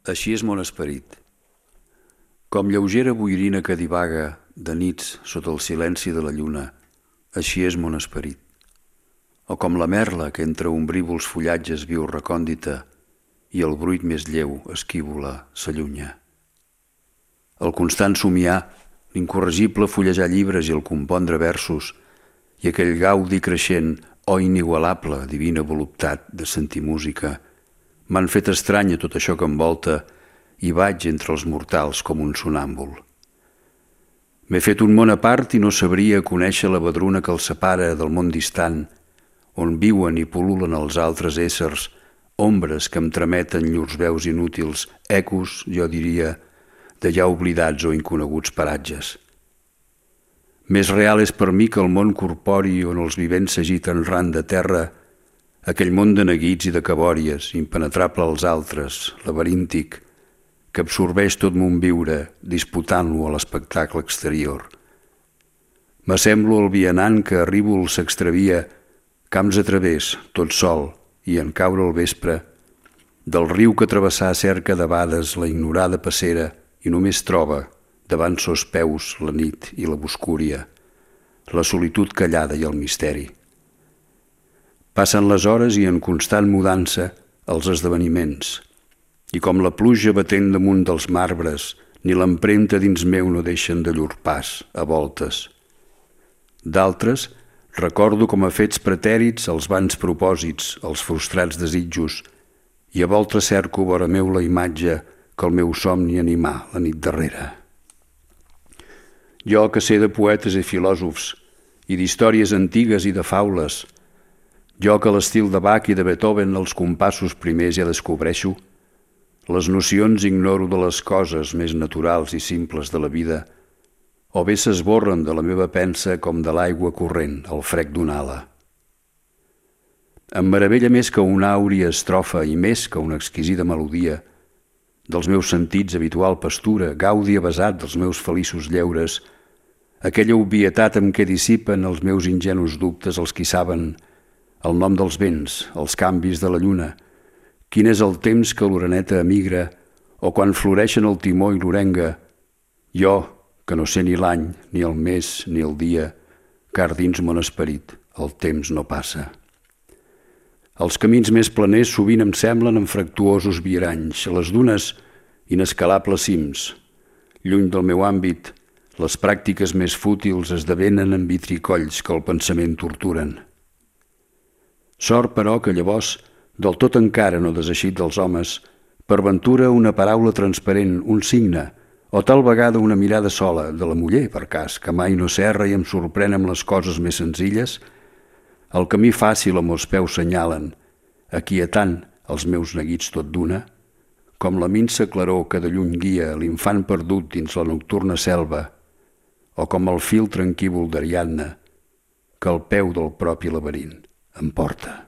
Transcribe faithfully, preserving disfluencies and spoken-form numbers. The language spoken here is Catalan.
Així és mon esperit. Com lleugera boirina que divaga de nits sota el silenci de la lluna, així és mon esperit. O com la merla que entre ombrívols fullatges viu recòndita i el bruit més lleu esquívola s'allunya. El constant somiar, l'incorregible fullejar llibres i el compondre versos i aquell gaudi creixent o inigualable divina voluptat de sentir música m'han fet estranya tot això que envolta i vaig entre els mortals com un sonàmbul. M'he fet un món a part i no sabria conèixer la vedruna que el separa del món distant, on viuen i pul·lulen els altres éssers, ombres que em trameten llurs veus inútils, ecos, jo diria, de ja oblidats o inconeguts paratges. Més real és per mi que el món corpori on els vivents s'agiten ran de terra, aquell món de neguits i de cabòries, impenetrable als altres, laberíntic, que absorbeix tot mon viure, disputant-lo a l'espectacle exterior. M'assemblo al vianant que a Ríbol s'extravia, camps a través, tot sol, i en caure al vespre, del riu que travessà cerca debades la ignorada passera i només troba, davant sos peus, la nit i la boscúria, la solitud callada i el misteri. Passen les hores i en constant mudança els esdeveniments, i com la pluja batent damunt dels marbres, ni l'empremta dins meu no deixen de llur pas, a voltes. D'altres, recordo com a fets pretèrits els vans propòsits, els frustrats desitjos, i a voltes cerco vora meu la imatge que el meu somni animà la nit darrere. Jo que sé de poetes i filòsofs, i d'històries antigues i de faules, jo que l'estil de Bach i de Beethoven els compassos primers ja descobreixo, les nocions ignoro de les coses més naturals i simples de la vida, o bé s'esborren de la meva pensa com de l'aigua corrent al frec d'una ala. Em meravella més que una àuria estrofa i més que una exquisida melodia, dels meus sentits habitual pastura, gaudi avasat dels meus feliços lleures, aquella obvietat amb què dissipen els meus ingenus dubtes els qui saben el nom dels vents, els canvis de la lluna, quin és el temps que l'oreneta emigra o quan floreixen el timó i l'orenga, jo, que no sé ni l'any, ni el mes, ni el dia, car dins mon esperit el temps no passa. Els camins més planers sovint em semblen en fractuosos viaranys, les dunes inescalables cims. Lluny del meu àmbit, les pràctiques més fútils esdevenen en vitricolls que el pensament torturen. Sort, però, que llavors, del tot encara no deseixit dels homes, per ventura una paraula transparent, un signe, o tal vegada una mirada sola, de la muller, per cas, que mai no s'erra i em sorprèn amb les coses més senzilles, el camí fàcil amb els peus senyalen, aquietant els meus neguits tot d'una, com la minsa claror que de lluny guia l'infant perdut dins la nocturna selva, o com el fil tranquívol d'Ariadna, que al peu del propi laberint em porta.